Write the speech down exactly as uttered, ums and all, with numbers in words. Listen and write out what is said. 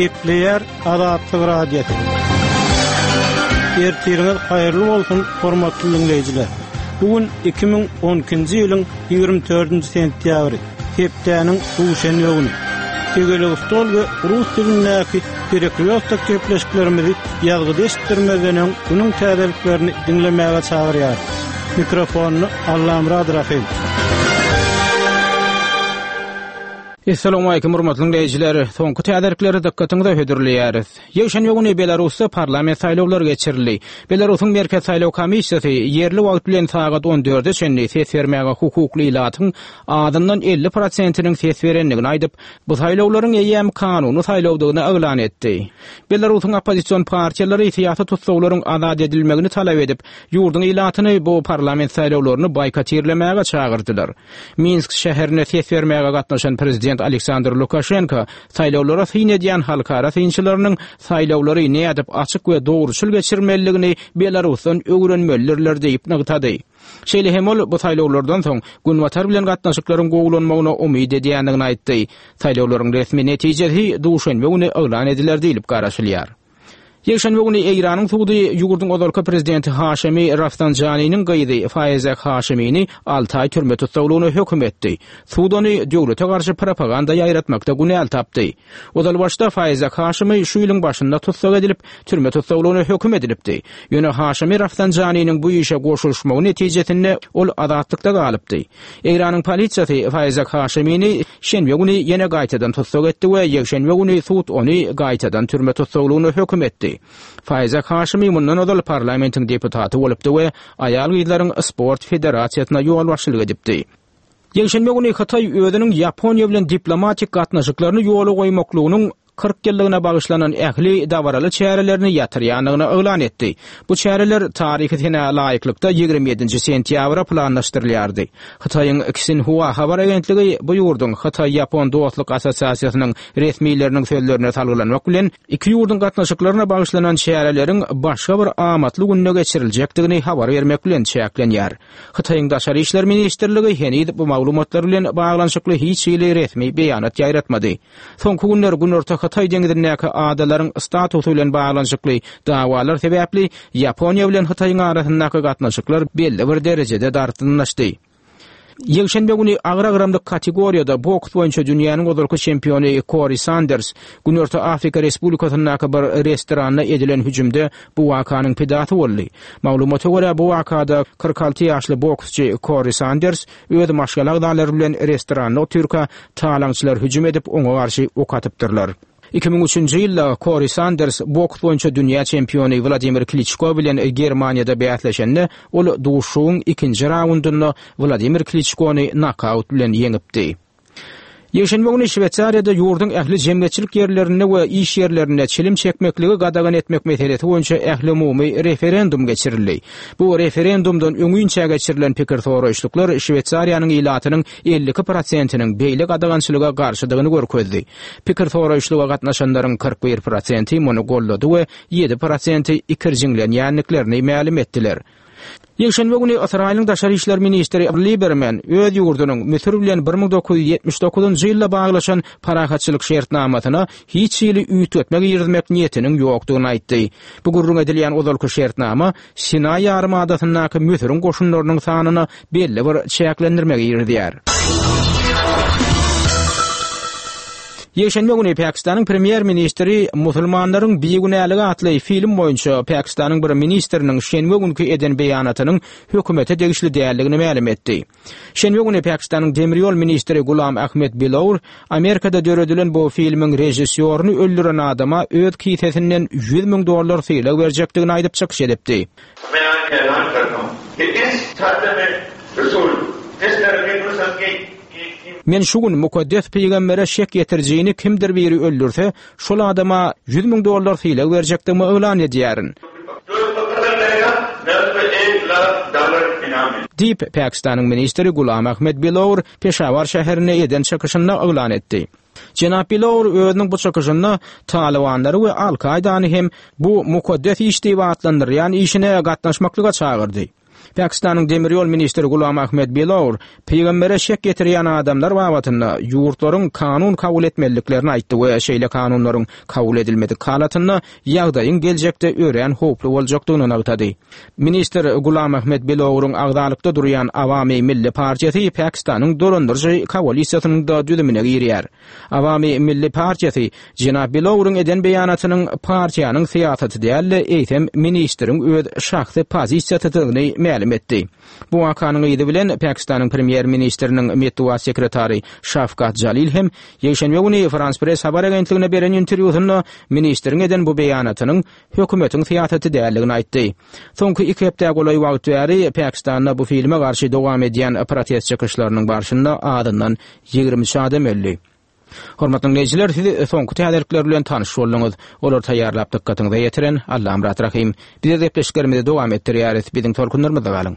Gepleýär Azatlyk Radiosy. Ertiriňiz haýyrly bolsun, hormatly dinleýjiler. Bu gün iki müň on ikinji ýylyň ýigrimi dördünji sentýabry, hepdäniň duşenbe güni. Tegelek stol we rus dilindäki Perekrýostok gepleşiklerimizi ýazgyda eşitdirmezden öň günüň täzeliklerini diňlemäge çagyrýar. Mikrofonyny Allamurad Rahim. Assalamu alaykum hurmatly dinleýjiler. Soňky täzelikleri dykgatyňyza hödürleýäris. Ýekşenbe güni Belarusda parlament saýlawlary geçirildi. Belarusyň Merkez saýlaw komissiýasy ýerli wagt bilen sagat on dörde çenli ses bermäge hukukly ilatyň azyndan elli prosentiniň ses berendigini aýdyp, bu saýlawlaryň eýýäm kanuny saýlawdygyny yglan etdi. Belarusyň oppozision partiýalary syýasy tussaglaryň azat edilmegini talap edip, ýurduň ilatyny bu parlament saýlawlaryny boýkotirlemäge çagyrdylar. Minsk şäherine ses bermäge gatnaşan prezident Aleksandr Lukaşenko saýlawlara syn edýän halkara synçylarynyň saýlawlary nädip açyk we dogruçyl geçirmelidigini Belarusdan öwrenmelidirler diýip nygtady. Şeýle hem ol bu saýlawlardan soň Günbatar bilen gatnaşyklaryň gowulanmagyna umyt edýändigini aýtdy. Saýlawlaryň resmi netijesi duşenbe güni yglan ediler diýilip garaşylýar. Ýekşenbe güni Eýranyň sudy ýurduň ozalky prezidenti Haşemi Rafsanjanynyň gyzy Faizek Haşemini alty aý türme tussaglygyna höküm etdi. Sud ony döwlete garşy propaganda ýaýratmakda günäli tapdy. Ozal başda Faizek Haşemi şu ýylyň başynda tussag edilip, türme tussaglygyna höküm edilipdi. Ýöne Haşemi Rafsanjanynyň bu işe goşulyşmagy netijesinde ol azatlykda galypdy. Eýranyň polisiýasy Faizek Haşemini şenbe güni ýene gaýtadan tussag etdi we ýekşenbe güni sud ony gaýtadan türme tussaglygyna höküm etdi. Faizek Haşemi mundan ozal parlamentiň deputaty bolupdy we aýal-gyzlaryň sport federasiýasyna ýolbaşçylyk edipdi. Ýekşenbe güni Hytaý özüniň Ýaponiýa bilen diplomatik gatnaşyklaryny ýola goýmaklygynyň kyrk ýyllygyna bagyşlanan ähli dabaraly çärelerini ýatyrýandygyny yglan etdi. Bu çäreler taryhy senä laýyklykda ýigrimi ýedinji sentýabra planlaşdyrylýardy. Hytaýyň Xinhua habar agentligi bu ýurduň Hytaý-Ýapon dostluk assosiasiýasynyň resmileriniň sözlerine salgylanmak bilen iki ýurduň gatnaşyklaryna bagyşlanan çäreleriň başga bir amatly günde geçiriljekdigini habar bermek bilen çäklenýär. Hytaýyň Daşary İşler Ministrligi heniz bu maglumatlar bilen baglanyşykly hiç hili resmi beýanat ýaýratmady. Soňky günler Günorta Hytaý deňizindäki adalaryň statusy bilen baglanyşykly dawalar sebäpli Ýaponiýa bilen Hytaýyň arasyndaky gatnaşyklar belli bir derejede dartgynlaşdy. Ýekşenbe güni agyr agramlyk kategoriýada boks boýunça dünýäniň ozalky çempiony Corey Sanders Günorta Afrika Respublikasyndaky bir restoranda edilen hüjümde bu wakanyň pidasy boldy. Maglumata görä bu wakada kyrk alty ýaşly boksçy Corey Sanders öz maşgala agzalary bilen restoranda otyrka talaňçylar hüjüm edip oňa garşy ok atypdyrlar. Iki müň üçünji ýylda Corey Sanders boks boýunça dünýä çempiony Wladimir Kliçko bilen Germaniýada bäsleşende ol duşuşygyň ikinji raundynda Wladimir Kliçkony nokaut bilen ýeňipdi. Ýekşenbe güni Şweýsariýada ýurduň ähli jemgyýetçilik ýerlerinde we iş ýerlerinde çilim çekmekligi gadagan etmek meselesi boýunça ähli umumy referendum geçirildi. Bu referendumdan öňünçä geçirilen pikir soraýyşlyklar Şweýsariýanyň ilatynyň elli iki prosentiniň beýle gadagançylyga garşydygyny görkezdi. Pikir soraýyşlyga gatnaşanlaryň kyrk bir prosenti muny gollady we ýedi prosenti ikirjiňlenýändiklerini mälim etdiler. Ýekşenbe güni Ysraýylyň Daşary İşler ministri Liberman öz ýurdunyň Müsür bilen bir müň dokuz ýüz ýetmiş dokuzynjy ýylda baglaşan parahatçylyk şertnamasyna hiç hili üýtgetme girizmek niýetiniň ýokdugyny aýtdy. Bu gürrüň edilýän ozalky şertnama Sinaý ýarymadasyndaky Müsüriň goşunlarynyň sanyna belli bir çäklendirme girizýär. Ýekşenbe güni Pakistanyň premýer-ministri musulmanlaryň bigünäligi atly film boýunça Pakistanyň bir ministriniň şenbe günki eden beýanatynyň hökümete degişli däldigini mälim etdi. Şenbe güni Pakistanyň demir ýol ministri Gulam Ahmed Bilour Amerikada döredilen bu filmiň režissýoryny öldüren adama öz kisesinden ýüz müň dollar sylag berjekdigini aýdyp çykyş edipdi. Men şu gün mukaddes peýgambere şek ýetirjini kimdir biri öldürse, şol adama ýüz müň dollar sylag berjekdigimi yglan edýärin. Diýip, Pakistanyň ministri Gulam Ahmed Bilour Peşawar şäherinde eden çykyşynda yglan etdi. Jenap Bilour özüniň bu çykyşynda Talibanlary we Al-Kaidany hem bu mukaddes iş diýip atlandyrýan işine gatnaşmaklyga çagyrdy. Pakistanyň demir ýol ministri Gulam Ahmed Bilour pygambere şek getirýän adamlar babatynda ýurtlaryň kanun kabul etmeliliklerini aýtdy we şeýle kanunlaryň kabul edilmedik halatynda ýagdaýyň geljekde örän howply boljakdygyny nygtady. Ministr Gulam Ahmed Bilouryň agzalykda durýan Awami Milli partiýasy Pakistanyň dolandyryjy koalisiýasynyň da düzümine girýär. Awami Milli partiýasy jenap Bilouryň eden beýanatynyň partiýanyň syýasaty däl-de, eýsem ministriň öz şahsy pozisiýasydygyny mälim etdi. Bu wakanyň yzy bilen Pakistanyň premýer-ministriniň metbugat sekretary Şafkat Jalil hem ýekşenbe güni Frans Press habar agentligine beren interwýusynda ministriň eden bu beýanatynyň hökümetiň syýasaty däldigini aýtdy. Soňky iki hepdä golaý wagt bäri Pakistanda bu filme garşy dowam edýän protest çykyşlarynyň barşynda azyndan ýigrimi üç adam öldi. Hormatly dinleýjiler, siz soňky täzelikler bilen tanyş bolduňyz. Olar taýýarlap dykgatyňyza ýetiren Allamyrat Rahym. Biz gepleşiklerimizi dowam etdirýäris. Biziň tolkunlarymyzda galyň.